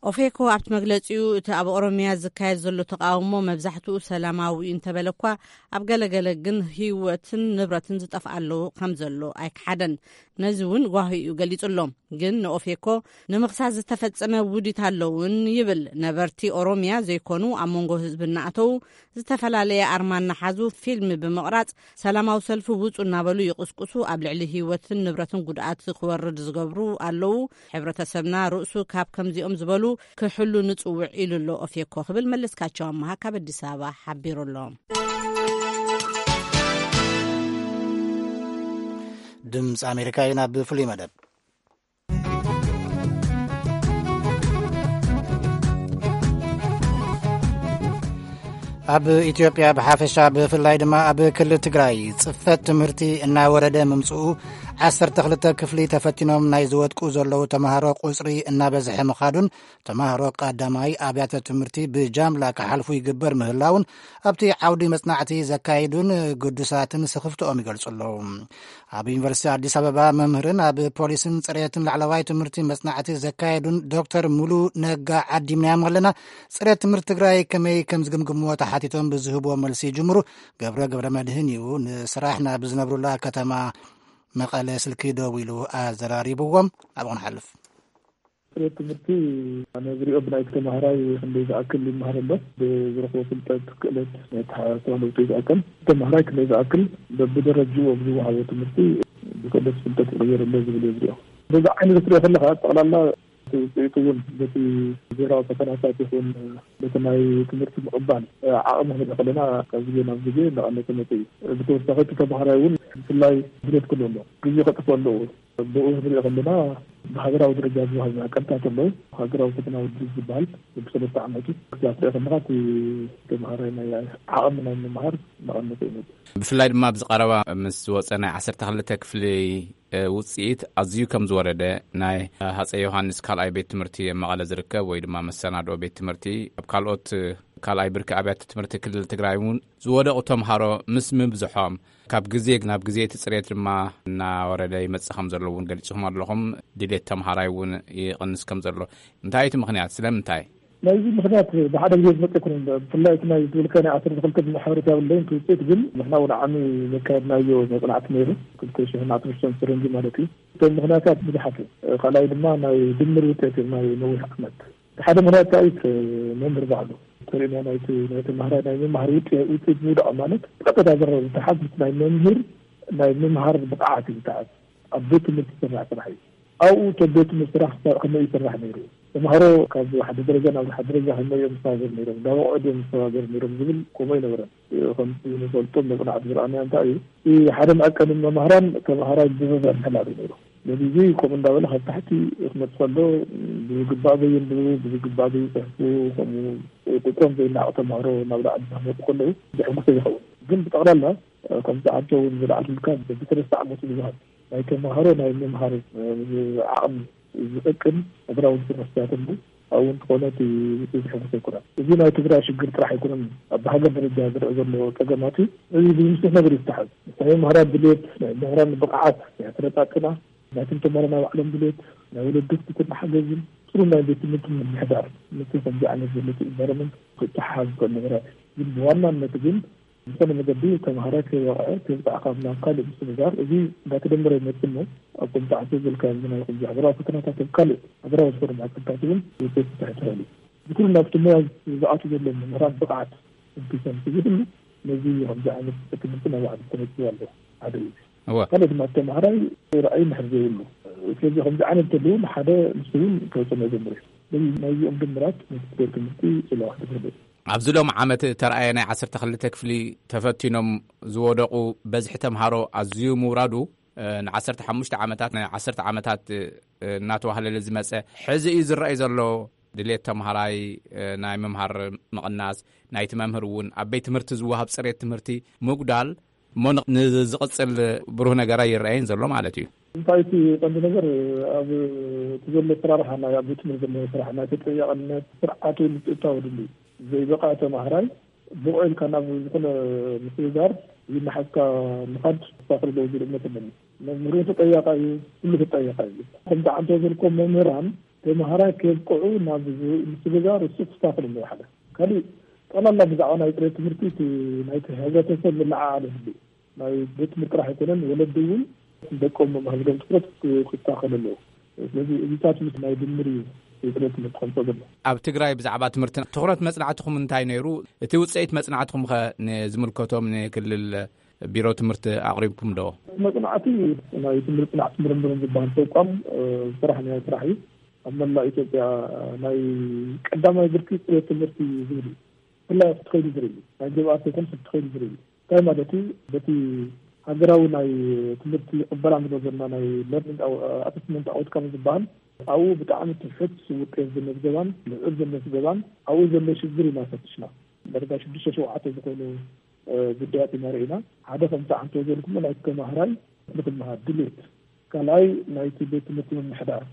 ኦፌኮ ኣብቲ መግለጺኡ፣ እቲ ኣብ ኦሮሚያ ዝካየድ ዘሎ ተቃውሞ መብዛሕትኡ ሰላማዊ እዩ እንተበለ እኳ፣ ኣብ ገለገለ ግን ህይወትን ንብረትን ዝጠፍኣ ኣለዉ ከም ዘሎ ኣይከሓደን። ነዚ እውን ጓሂ እዩ ገሊጹ ኣሎ። ግን ንኦፌኮ ንምኽሳስ ዝተፈጸመ ውዲት ኣለውን ይብል። ነበርቲ ኦሮሚያ ዘይኮኑ ኣብ መንጎ ህዝቢ እናኣተዉ ዝተፈላለየ ኣርማ እናሓዙ ፊልም ብምቕራጽ ሰላማዊ ሰልፊ ውጹ እናበሉ ይቕስቅሱ፣ ኣብ ልዕሊ ህይወትን ንብረትን ጉድኣት ክወርድ ዝገብሩ ኣለዉ። ሕብረተሰብና ርእሱ ካብ ከምዚኦም ዝበሉ ክሕሉ ንጽውዕ ኢሉ ኣሎ ኦፌኮ ክብል መለስካቸው ኣመሃ ካብ ኣዲስ ኣበባ ሓቢሩ ኣሎ። ድምፂ ኣሜሪካ እዩ። ናብ ፍሉይ መደብ። ኣብ ኢትዮጵያ ብሓፈሻ ብፍላይ ድማ ኣብ ክልል ትግራይ ጽፈት ትምህርቲ እናወረደ ምምጽኡ ዓሰርተ ክልተ ክፍሊ ተፈቲኖም ናይ ዝወድቁ ዘለዉ ተምሃሮ ቁጽሪ እናበዝሐ ምኻዱን ተምሃሮ ቀዳማይ ኣብያተ ትምህርቲ ብጃምላ ክሓልፉ ይግበር ምህላውን ኣብቲ ዓውዲ መጽናዕቲ ዘካይዱን ግዱሳትን ስኽፍትኦም ይገልጹ ኣለዉ። ኣብ ዩኒቨርሲቲ ኣዲስ ኣበባ መምህርን ኣብ ፖሊስን ጽሬትን ላዕለዋይ ትምህርቲ መጽናዕቲ ዘካየዱን ዶክተር ሙሉ ነጋ ዓዲምናዮም ኣለና። ጽሬት ትምህርቲ ትግራይ ከመይ ከም ዝግምግምዎ ተሓቲቶም ብዝህብዎ መልሲ ይጅምሩ። ገብረ ገብረ መድህን እዩ ንስራሕ ናብ ዝነብሩላ ከተማ መቐለ ስልኪ ደዊሉ ኣዘራሪብዎም። ኣብኡ ንሓልፍ። ጽሬት ትምህርቲ ኣነ ዝሪኦ ብናይ ተማሃራይ ክንደይ ዝኣክል ይመሃር ኣሎ፣ ብዝረኽቦ ፍልጠት፣ ክእለት፣ ናይ ኣተሓሳስባ ለውጢ ዝኣክል ተማሃራይ ክንደይ ዝኣክል በብደረጅኡ ኣብ ዝወሃቦ ትምህርቲ ብክእለት ፍልጠት ይቕየር ኣሎ ዝብል እየ ዝሪኦ። በዚ ዓይነት ክትሪኦ ከለኻ ጠቕላላ እቲ ውፅኢት እውን በቲ ብሄራዊ ፈተናታት ይኹን በቲ ናይ ትምህርቲ ምቕባል ዓቕሚ ክንርኢ ከለና ካብ ግዜ ናብ ግዜ እናቐነሰ መፅኡ እዩ። ብተወሳኺ እቲ ተማሃራይ እውን ብፍላይ ድሌት ክህሉ ኣሎ፣ ግዜ ከጥፍእ ኣለዎ። ብኡ ክንሪኦ ከለና ብሃገራዊ ደረጃ ዝወሃብ መዐቀንታት ኣለዉ። ሃገራዊ ፈተና ውድድር ዝበሃል ብሰለስተ ዓመቱ ክሳብ ትሪኦ ከለኻ እቲ ተምሃራይ ናይ ዓቕሚ ናይ ምምሃር እናቐነሰ ይመጽእ። ብፍላይ ድማ ኣብዚ ቀረባ ምስ ዝወጸ ናይ ዓሰርተ ክልተ ክፍሊ፣ እ፣ ውጽኢት ኣዝዩ ከም ዝወረደ ናይ ሃጸይ ዮሃንስ ካልኣይ ቤት ትምህርቲ ኣብ መቐለ ዝርከብ ወይ ድማ መሰናድኦ ቤት ትምህርቲ ኣብ ካልኦት፣ እ፣ ካልኣይ ብርኪ ኣብያተ ትምህርቲ ክልል ትግራይ እውን ዝወደቑ ተምሃሮ ምስ ምብዝሖም ካብ ግዜ ናብ ግዜ እቲ ጽሬት ድማ እናወረደ ይመጽእ ከም ዘሎ እውን ገሊጽኹም ኣለኹም። ድሌት ተምሃራይ እውን ይቕንስ ከም ዘሎ። እንታይ እቲ ምኽንያት? ስለምንታይ? ናይዚ ምኽንያት ብሓደ ግዜ ዝመጽእ ኣይኮነን። ብፍላይ እቲ ናይ ዝብልካ ናይ ዓሰርተ ክልተ ብዙሕ ሓበሬታ የብለይን። እቲ ውጽኢት ግን ንሕና እውን ዓሚ ዘካየድናዮ መጽናዕቲ ነይሩ፣ ክልተ ሽሕን ዓሰርተ ሽዱሽተን ፈረንጂ ማለት እዩ። እቶም ምኽንያታት ብዙሓት እዮም። ካልኣይ ድማ ናይ ድምር ውጽኢት እዮም ናይ ነዊሕ ዓመት። እቲ ሓደ ምኽንያት እንታይ እዩ? እቲ መምህር ባዕሉ ተርእና ናይቲ ናይ ተምሃራይ ናይ ምምሃር ውጽ-፣ ውጽኢት ምውዳቕ ማለት ብቀጥታ ዝረ-፣ ዝተሓዝ ምስ ናይ መምህር ናይ ምምሃር ብቕዓት እዩ ዝተሓዝ። ኣብ ቤት ትምህርቲ ዝስራሕ ስራሕ እዩ። ኣብኡ እቶም ቤት ትምህርቲ ስራሕ ክሳብ ከመይ ይስራሕ ነይሩ? ተምሃሮ ካብ ሓደ ደረጃ ናብ ሓደ ደረጃ ከመይ እዮም ዝሰጋገሩ ነይሮም? ናብ ኣቑዑት እዮም ዝሰጋገሩ ነይሮም ዝብል ከምኡ ኣይነበረን። ከምቲ ንፈልጦ መጽናዕቲ ዝረኣናዮ እንታይ እዩ? እቲ ሓደ መዐቀኒ መምህራን ተምሃራይ ብዘዛ ምሕላል እዩ ነይሩ። ስለዚ እዚ ከምኡ እንዳበለ ካብ ታሕቲ ክመጽእ ከሎ ብዝግባእ ዘየንብቡ፣ ብዝግባእ ዘይጽሕፉ፣ ከምኡ ቁጽሮም ዘይናቕ ተምሃሮ ናብ ላዕሊ እናመጹ ከለዉ ዘሐጉሰ ይኸውን። ግን ብጠቕላላ ከምቲ ዓንቶ እውን ዝለዓልኩልካ በብሰለስተ ዓመቱ ዝወሃብ ናይ ተምሃሮ ናይ ምምሃር ዓቕሚ ዝጠቅም እግራዊ ስርሕታት ኣሎ። ኣብኡ እንተኾነ እቲ ውፅኢት ዘሐጉስ ኣይኮነን። እዚ ናይ ትግራይ ሽግር ጥራሕ ኣይኮነን። ኣብ ሃገር ደረጃ ዝረአ ዘሎ ፀገማት እዩ። እዚ ብምስሕ ነገር ይተሓዝ። ናይ መምህራን ድሌት፣ ናይ መምህራን ብቕዓት፣ ናይ ኣሰለጣጥና፣ ናይቶም ተምሃሮ ናይ ባዕሎም ድሌት፣ ናይ ወለዲ ክትትልን ሓገዝን፣ ፅሩይ ናይ ቤት ትምህርቲ ምምሕዳር፣ ነቲ ከምዚ ዓይነት ዘሎ እቲ ኢንቫይሮመንት ክተሓሓዝ ዝኽእል ነገራት እዩ። ግን ብዋናነት ግን ዝኾነ መገዲ ተምሃራይ ከይወቕዐ፣ ከይብጻሕ ካብ ናብ ካልእ ምስግጋር፣ እዚ እንዳተደመረ ይመጽእ እሞ፣ ኣብ ከምቲ ዓንተ ዘልካ ናይ ከምዚ ሃገራዊ ፈተናታት፣ ኣብ ካልእ ሃገራዊ ዝኾነ ማዕቀብታት እውን ውፅኢት ክስራሕ ይኽእል እዩ። እዚ ኩሉ ናብቲ ሞያ ዝኣቱ ዘሎ መምህራን ብቕዓት እንክሰም ዝህሉ፣ ነዚ ከምዚ ዓይነት ትምህርቲ ናይ ባዕሉ ተነፅዎ ኣሎ። ሓደ እዩ። እወ። ካልእ ድማ ተምሃራይ ራእይ እንድሕር ዘይብሉ፣ ስለዚ ከምዚ ዓይነት እንተልዩ ንሓደ ንሱ እውን ከፅንኦ ጀምር እዩ። ስለዚ ናይዚኦም ድምራት ነቲ ትምህርቲ ጽልዋ ክትህሉ። ኣብዚ ሎም ዓመት እተረኣየ ናይ ዓሰርተ ክልተ ክፍሊ ተፈቲኖም ዝወደቑ በዝሒ ተምሃሮ ኣዝዩ ምውራዱ፣ ን15 ዓመታት፣ ን10 ዓመታት እናተዋህለለ ዝመጸ፣ ሕዚ እዩ ዝረኣይ ዘሎ። ድሌት ተምሃራይ ናይ ምምሃር ምቕናስ፣ ናይቲ መምህር እውን ኣብ ቤት ትምህርቲ ዝወሃብ ጽሬት ትምህርቲ ምጉዳል እሞ ንዝቕጽል ብሩህ ነገር ኣይረኣይን ዘሎ ማለት እዩ። እንታይ እቲ ቀንዲ ነገር? ኣብ እቲ ዘሎ ኣሰራርሓ፣ ናይ ኣብ ቤት ትምህርቲ ዘሎ ስራሕ፣ ናይ ተጠያቕነት ስርዓት እውን ምትእትታው ድልዩ። ዘይበቕዐ ተምሃራይ ብቑዕ ኢልካ ናብ ዝኾነ ምስግጋር ይናሓዝካ ምኻድ ክስተኻኸል ኣለዎ ዝብል እምነት ኣለኒ። መምህር እውን ተጠያቓ እዩ፣ ኩሉ ተጠያቓ እዩ። ከምቲ ዓንተ ዘልኮ መምህራን ተምሃራይ ከብቅዑ ናብ ምስግጋር እሱ ክስተኻኸል ኣለዎ ሓደ። ካልእ ጠቕላላ ብዛዕባ ናይ ጥሬት ትምህርቲ እቲ ናይቲ ሕብረተሰብ ምልዕዓል ይህሉ። ናይ ቤት ትምህርቲ ጥራሕ ኣይኮነን፣ ወለዲ እውን ደቆም መምሃርሎም ትኩረት ክስተኻኸል ኣለዎ። ስለዚ እዚታት ምስ ናይ ድምር እዩ የጥሬት ትምህርቲ ከምፅኦ ዘሎ። ኣብ ትግራይ ብዛዕባ ትምህርቲ ትኹረት መጽናዕትኹም እንታይ ነይሩ? እቲ ውጽኢት መጽናዕትኹም ኸ ንዝምልከቶም ንክልል ቢሮ ትምህርቲ ኣቕሪብኩም ዶ? መጽናዕቲ ናይ ትምህርቲ ጽናዕት ምርምርን ዝበሃል ተቋም ዝሰራሕ ናይ ስራሕ እዩ። ኣብ መላእ ኢትዮጵያ ናይ ቀዳማይ ብርኪ ጽሬት ትምህርቲ ዝብል እዩ። ብፍላይ ኣብቲ ከይዲ ዝርኢ፣ ናይ ግብኣት ይኹን ኣብቲ ከይዲ ዝርኢ። እንታይ ማለት እዩ? በቲ ሃገራዊ ናይ ትምህርቲ ቅበላ ንብሎ ዘለና ናይ ለርኒንግ ኣሰስመንት ኣውትካም ዝበሃል፣ ኣብኡ ብጣዕሚ ትሑት ውጤት ዝመዝገባን ልዑል ዘመዝገባን ኣብኡ ዘሎ ሽግር ኢና ፈትሽና። ደረጃ ሽዱሽተ ሸውዓተ ዝኾኑ ጉዳያት ኢና ርኢና። ሓደ ከምቲ ዓንተ ዘልኩም ናይ ተማሃራይ ንክመሃር ድሌት፣ ካልኣይ ናይቲ ቤት ትምህርቲ ምምሕዳር፣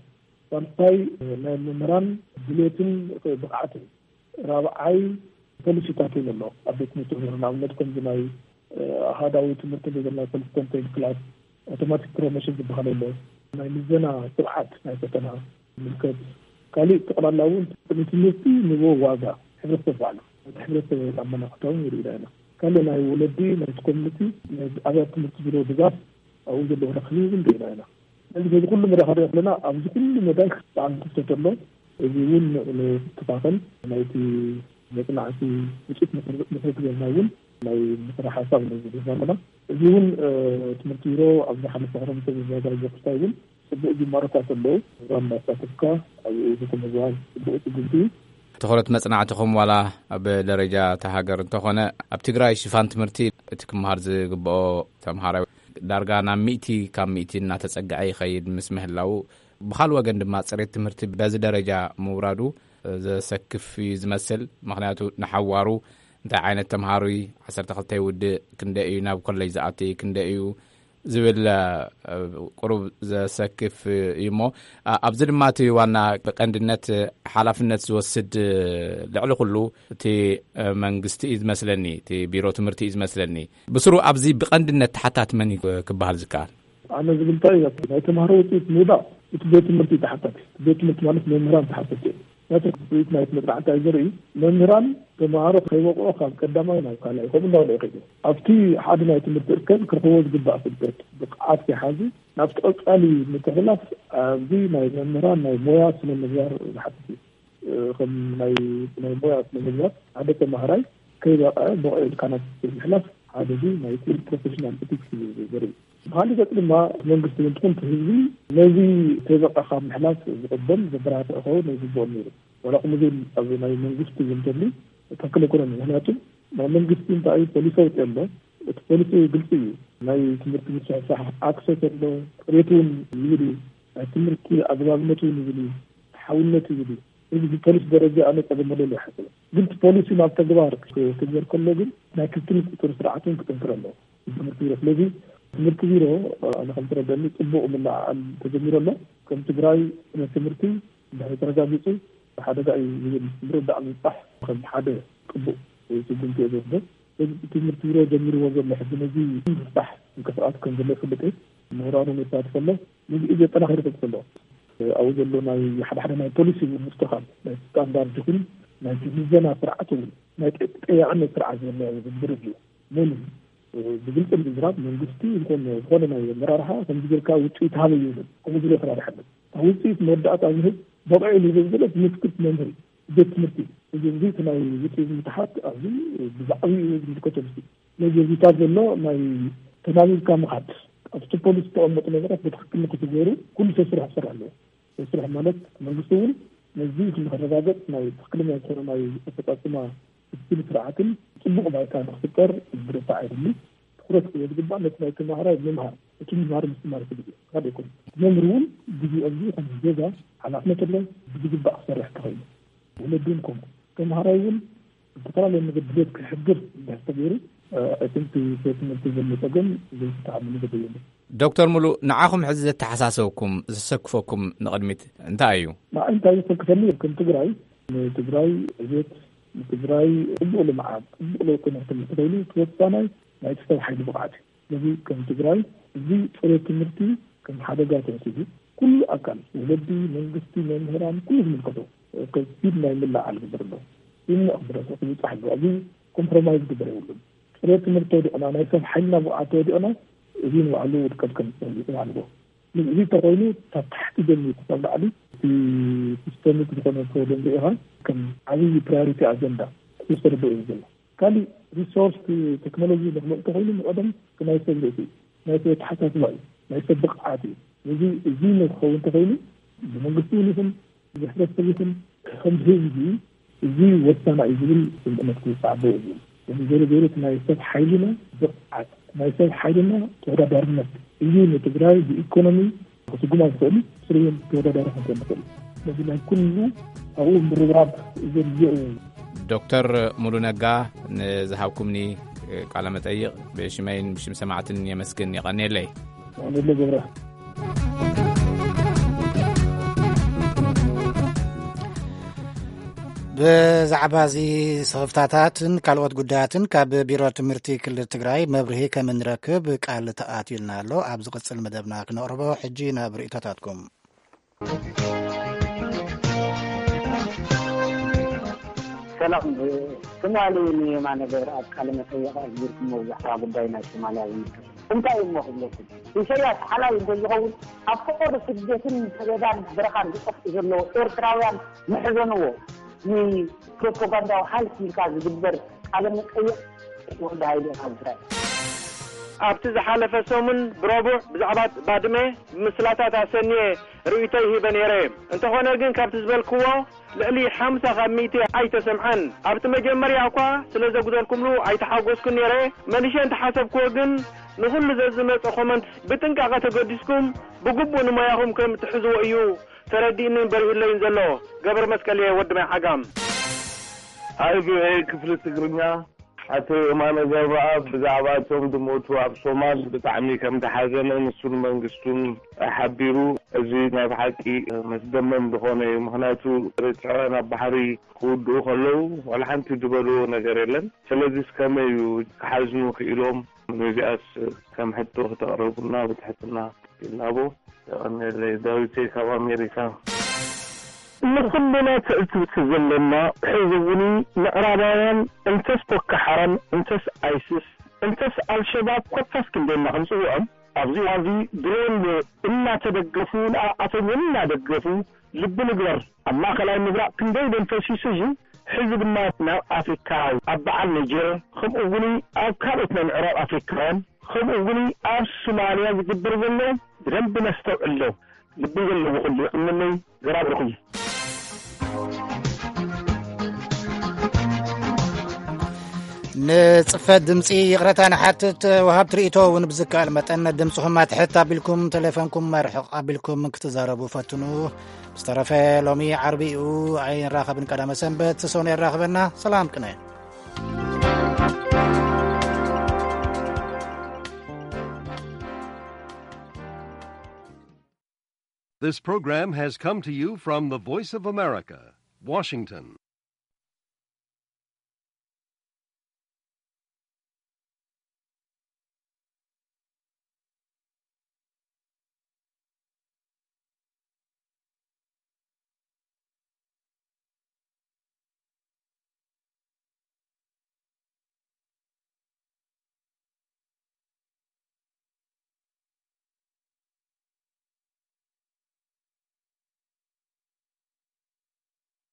ሳልሳይ ናይ መምህራን ድሌትን ብቕዓትን፣ ራብዓይ ፖሊሲታት እውን ኣሎ ኣብ ቤት ትምህርቲ ምህሮ። ንኣብነት ከምዚ ናይ ኣሃዳዊ ትምህርቲ እንተዘለና ኮንሲስተንት ክላስ፣ ኣውቶማቲክ ፕሮሞሽን ዝበሃል ኣሎ፣ ናይ ምዘና ስርዓት ናይ ፈተና ምልከት። ካሊእ ጠቕላላ እውን ንትምህርቲ ንቦ ዋጋ ሕብረተሰብ ባዕሉ፣ እቲ ሕብረተሰብ ኣመላኽታውን ይርኢና ኢና። ካሊእ ናይ ወለዲ ናይቲ ኮሚኒቲ፣ ናይ ኣብያት ትምህርቲ ዝሮ ድጋፍ፣ ኣብኡ ዘለዎ ረኽቢ እውን ርኢና ኢና። ስለዚ በዚ ኩሉ መዳይ ከደ ከለና ኣብዚ ኩሉ መዳይ ብጣዕሚ ክፍተት ኣሎ። እዚ እውን ንክትካኸል ናይቲ መፅናዕቲ ውፅኢት መሰረት ገርና እውን ናይ ምክረ ሓሳብ ነዚ ዘለና። እዚ እውን ትምህርቲ ቢሮ ኣብ ዝሓለፈ ክረምቲ ዘዘጋጀ ክስታይ እውን ፅቡቅ ጅማሮታት ኣለዉ። እዛ እንዳሳተፍካ ኣብኡ ዝተመዝባል ፅቡቅ ስጉምቲ እዩ። ትኹረት መጽናዕትኹም ዋላ ኣብ ደረጃ እታ ሃገር እንተኾነ፣ ኣብ ትግራይ ሽፋን ትምህርቲ እቲ ክመሃር ዝግብኦ ተምሃራይ ዳርጋ ናብ ሚእቲ ካብ ሚእቲ እናተጸግዐ ይኸይድ ምስ ምህላዉ፣ ብኻል ወገን ድማ ጽሬት ትምህርቲ በዚ ደረጃ ምውራዱ ዘሰክፍ እዩ ዝመስል። ምኽንያቱ ንሓዋሩ እንታይ ዓይነት ተምሃሮ እዩ፣ ዓሰርተ ክልተ ይውድእ፣ ክንደይ እዩ ናብ ኮሌጅ ዝኣቲ፣ ክንደይ እዩ ዝብል ቁሩብ ዘሰክፍ እዩ እሞ፣ ኣብዚ ድማ እቲ ዋና ብቀንድነት ሓላፍነት ዝወስድ ልዕሊ ኩሉ እቲ መንግስቲ እዩ ዝመስለኒ፣ እቲ ቢሮ ትምህርቲ እዩ ዝመስለኒ። ብስሩ ኣብዚ ብቀንድነት ተሓታቲ መን እዩ ክበሃል ዝከኣል? ኣነ ዝብል እንታይ እዩ፣ ናይ ተምሃሮ ውፅኢት ምውዳእ እቲ ቤት ትምህርቲ እዩ ተሓታቲ። ቤት ትምህርቲ ማለት መምህራን ተሓተቲ እዮም። ነቲ ውፅኢት ናይቲ መፅናዕቲ እንታይ ዘርኢ፣ መምህራን ተምሃሮ ከይበቕዑ ካብ ቀዳማይ ናብ ካልኣይ ከምኡ እንዳበለ ይኸይዱ። ኣብቲ ሓደ ናይ ትምህርቲ እርከን ክረኽብዎ ዝግባእ ፍልጠት፣ ብቕዓት ከይሓዙ ናብቲ ቀፃሊ ምትሕልላፍ ኣብዚ ናይ መምህራን ናይ ሞያ ስነ ምግባር ዝሓትት እዩ። ከም ናይ ናይ ሞያ ስነ ምግባር ሓደ ተምሃራይ ከይበቕዐ ብቑዕ ኢልካ ናብ ምሕላፍ ሓደ እዚ ናይቲ ፕሮፌሽናል ኤቲክስ እዩ ዘርኢ። ብኻሊእ ገፅ ድማ መንግስቲ እውን ትኹን ህዝቢ ነዚ ከይበቕዐ ካብ ምሕላፍ ዝቕበል ዘበራትዕ ክኸውን ዝግብኦ ነይሩ። ዋላ ከምኡ ዘይብል ኣብ ናይ መንግስቲ እውን ተብሉ ትኽክል ኣይኮነን። ምኽንያቱ ናይ መንግስቲ እንታይ እዩ ፖሊሲ ኣውፂኡ ኣሎ። እቲ ፖሊሲ ግልፂ እዩ። ናይ ትምህርቲ ምስሕሳሕ ኣክሰስ ኣሎ፣ ፅሬት እውን ይብል እዩ። ናይ ትምህርቲ ኣግባብነት እውን ይብል እዩ፣ ፍትሓውነት ይብል እዩ። እዚ ብፖሊሲ ደረጃ ኣነ ፀገም ኣለሉ ይሓስብ። ግን እቲ ፖሊሲ ናብ ተግባር ክግበር ከሎ ግን ናይ ክትትል ቁፅሪ ስርዓት እውን ክጥንክር ኣለዎ ትምህርቲ ቢሮ። ስለዚ ትምህርቲ ቢሮ ኣነ ከም ዝረደኒ ፅቡቅ ምልዕዓል ተጀሚሩ ኣሎ። ከም ትግራይ ናይ ትምህርቲ እንድሕር ተረጋጊፁ ሓደጋ እዩ ዝብል ምርዳእ ምብፃሕ ከም ሓደ ቅቡእ ስጉምቲ እየ ዝወስዶ። ስለዚ እቲ ትምህርቲ ቢሮ ጀሚርዎ ዘሎ ሕጂ ነዚ ምፍታሕ ምንቅስቃስ ከም ዘሎ ይፍልጥ እየ። ምሁራን እውን የሳትፍ ኣሎ። ነዚ እዩ ዘጠናኽር ይፈልጥ ኣሎ። ኣብኡ ዘሎ ናይ ሓደ ሓደ ናይ ፖሊሲ እውን ምስትኻል ናይ ስታንዳርድ ይኹን ናይ ምዘና ስርዓት እውን ናይ ተጠያቂነት ስርዓት ዝብልናዮ ዝርዝር እዩ። መን ብግልፂ ምዝራብ መንግስቲ ይኹን ዝኾነ ናይ ኣመራርሓ ከምዚ ጌርካ ውፅኢት ሃበ ይብል ከምኡ ዝብል ኣተራርሓ ኣሎ። ኣብ ውፅኢት መወዳእታ ዝህብ በቕዒ ዝብል ዘሎ ትምክት መምህር ቤት ትምህርቲ እዚ እዚ እቲ ናይ ውፅኢት ምትሓት ኣብዚ ብዛዕባኡ ዝምልከቶ ምስ ስለዚ እዚታት ዘሎ ናይ ተናቢብካ ምኻድ ኣብቲ ፖሊሲ ዝተቐመጡ ነገራት ብትክክል ንክትገሩ ኩሉ ሰብ ስራሕ ክሰርሕ ኣለዎ። ሰብ ስራሕ ማለት መንግስቲ እውን ነዚ ንክረጋገፅ ናይ ትክክለኛ ዝኾነ ናይ ኣፈፃፅማ ክትትል ስርዓትን ፅቡቕ ባይታ ንክፍጠር ብረታ ኣይደሊ ትኩረት ክህቦ ዝግባእ ነቲ ናይ ተማሃራይ ምምሃር እቲ ምምሃር ምስትማር ክብል እዩ። ካልእ ይኮን መምህር እውን ግዜ ኣብዚ ከም ዜጋ ሓላፍነት ኣሎ ብዝግባእ ክሰርሕ ተኸይሉ ወለዱን ከምኡ ተማሃራይ እውን ዝተፈላለዩ ነገር ድሌት ክሕድር እንድሕር ተገይሩ እቲ ቤት ትምህርቲ ዘሎ ፀገም ዘይፍታሕ መገዲ የለን። ዶክተር ሙሉ፣ ንዓኹም ሕዚ ዘተሓሳሰብኩም ዘሰክፈኩም ንቕድሚት እንታይ እዩ? ንዓይ እንታይ ዘሰክፈኒ ከም ትግራይ ንትግራይ ዕቤት ንትግራይ ፅቡቅ ልምዓት ፅቡቅ ለውጢ ንክትምፅእ ተይሉ ተወሳናይ ናይቲ ሰብ ሓይሊ ብቕዓት እዩ። ስለዚ ከም ትግራይ እዚ ፅሬት ትምህርቲ ከም ሓደጋ ተወሲዱ ኩሉ ኣካል ወለዲ መንግስቲ መምህራን ኩሉ ዝምልከቶ ከቢድ ናይ ምልዓል ግብር ኣሎ። ይምቕ ብረሰ ክብፃሕ ኣሎ። እዚ ኮምፕሮማይዝ ግበር የብሉን። ፅሬት ትምህርቲ ተወዲቕና ናይ ሰብ ሓይልና ብቕዓት ተወዲቕና እዚ ንባዕሉ ውድቀት ከም ዝፀልእ ማለት እዚ ተኮይኑ ካብ ታሕቲ ጀሚሩ ክሳብ ላዕሊ እቲ ሲስተሚክ ዝኾነ ፕሮብለም ሪኢኻ ከም ዓብዪ ፕራዮሪቲ ኣጀንዳ ክወሰደዶ እዩ ዘሎ። ካሊእ ሪሶርስ ቴክኖሎጂ ንክመፅእ ተኮይኑ ንቀደም ናይ ሰብ ርእሲ እዩ፣ ናይ ሰብ ኣተሓሳስባ እዩ፣ ናይ ሰብ ብቕዓት እዩ። እዚ እዚ ንክኸውን ተኮይኑ ብመንግስቲ እውን ይኹን ብሕብረተሰብ ይኹን ከም ህዝቢ እዚ ወሳና እዩ ዝብል ስምዕነት ክውፃእ ኣለዎ እዩ። እዚ ገለ ገይሩ እቲ ናይ ሰብ ሓይልና ብቕዓት ናይ ሰብ ሓይልና ተወዳዳርነት እዩ ንትግራይ ብኢኮኖሚ ክስጉማ ዝኽእል ስርየን ተወዳዳሪ ክንኮን ንኽእል ነዚ ናይ ኩሉ ኣብኡ ምርብራብ ዘድልዮ እዩ። ዶክተር ሙሉ ነጋ ንዝሃብኩምኒ ቃለ መጠይቕ ብሽመይን ብሽም ሰማዕትን የመስግን። የቐንየለይ። ኣነለ ገብረ ብዛዕባ እዚ ስኽፍታታትን ካልኦት ጉዳያትን ካብ ቢሮ ትምህርቲ ክልል ትግራይ መብርሂ ከም እንረክብ ቃል ተኣትዩልና ኣሎ። ኣብ ዝቕጽል መደብና ክነቕርቦ ሕጂ ናብ ርእይቶታትኩም። ሰላም ትማሊ ንየማነ ገብረኣብ ቃለ መጠየቕ ኣግቢርኩሞ ብዛዕባ ጉዳይ ናይ ሶማልያ ዝምልከት እንታይ እሞ ክብለኩም ኢሰያስ ሓላይ እንተዝኸውን ኣብ ፈቐዶ ስደትን ሰደዳን በረኻን ዝጠፍኡ ዘለዉ ኤርትራውያን ምሕዘንዎ ንፕሮፓጋንዳዊ ሃልኪ ኢልካ ዝግበር ቃለ መጠየቕ ወዲ ሃይለ ካብ እስራኤል። ኣብቲ ዝሓለፈ ሰሙን ብረቡዕ ብዛዕባ ባድመ ብምስላታት ኣሰንየ ርእይቶይ ሂበ ነይረ። እንተኾነ ግን ካብቲ ዝበልክዎ ልዕሊ ሓምሳ ካብ ሚእቲ ኣይተሰምዐን። ኣብቲ መጀመርያ እኳ ስለ ዘጉደልኩምሉ ኣይተሓጎስኩን ነይረ። መሊሸ እንተሓሰብክዎ ግን ንኹሉ ዘዝመጸ ኮመንት ብጥንቃቐ ተገዲስኩም ብግቡእ ንሞያኹም ከም እትሕዝዎ እዩ ተረዲእንን በሪሁለይን ዘሎ። ገብረ መስቀል እየ ወዲ ማይ ዓጋም። ኣይ ቪ ኦ ኤ ክፍሊ ትግርኛ ኣቶ የማነ ገብረኣብ ብዛዕባ እቶም ዝሞቱ ኣብ ሶማል ብጣዕሚ ከም ዝሓዘነ ንሱን መንግስቱን ሓቢሩ፣ እዚ ናይ ብሓቂ መስደመም ዝኾነ እዩ። ምኽንያቱ ኤርትራውያን ኣብ ባሕሪ ክውድኡ ከለዉ ዋላ ሓንቲ ዝበልዎ ነገር የለን። ስለዚስ ከመይ እዩ ክሓዝኑ ክኢሎም? ነዚኣስ ከም ሕቶ ክተቕርቡልና ብትሕትና ይላቦ። የቐንየለይ። ዳዊተይ ካብ ኣሜሪካ። ንኹልና ትዕዝብቲ ዘለና ሕዚ እውን ምዕራባውያን እንተስ ቦኮ ሓራም እንተስ ኣይስስ እንተስ ኣልሸባብ ኮታስ ክንደና ክንፅውዖም ኣብዚ ዋዚ ድሮን እናተደገፉ ንኣኣቶም እውን እናደገፉ ልቢ ንግበር ኣብ ማእኸላይ ምብራቕ ክንደይ ደም ፈሲሱ እዩ ሕዚ ድማ ናብ ኣፍሪካ ኣብ በዓል ኒጀር ከምኡ እውን ኣብ ካልኦት ናይ ምዕራብ ኣፍሪካውያን ከምኡ እውን ኣብ ሱማልያ ዝግበር ዘሎ ብደንብ ነስተውዕሎ ልቢ ዘለዎ ኩሉ ይቕንለይ ገራብርኹም። ንጽፈት ድምጺ ይቕረታ ንሓትት። ወሃብቲ ርእይቶ እውን ብዝከኣል መጠን ድምጽኹም ኣትሕት ኣቢልኩም ተሌፎንኩም ኣርሕቕ ኣቢልኩም ክትዛረቡ ፈትኑ። ብዝተረፈ ሎሚ ዓርቢ እዩ ኣይንራኸብን ቀዳመ ሰንበት ሰው የራኽበና። ሰላም ቅነ። This program has come to you from the Voice of America, Washington.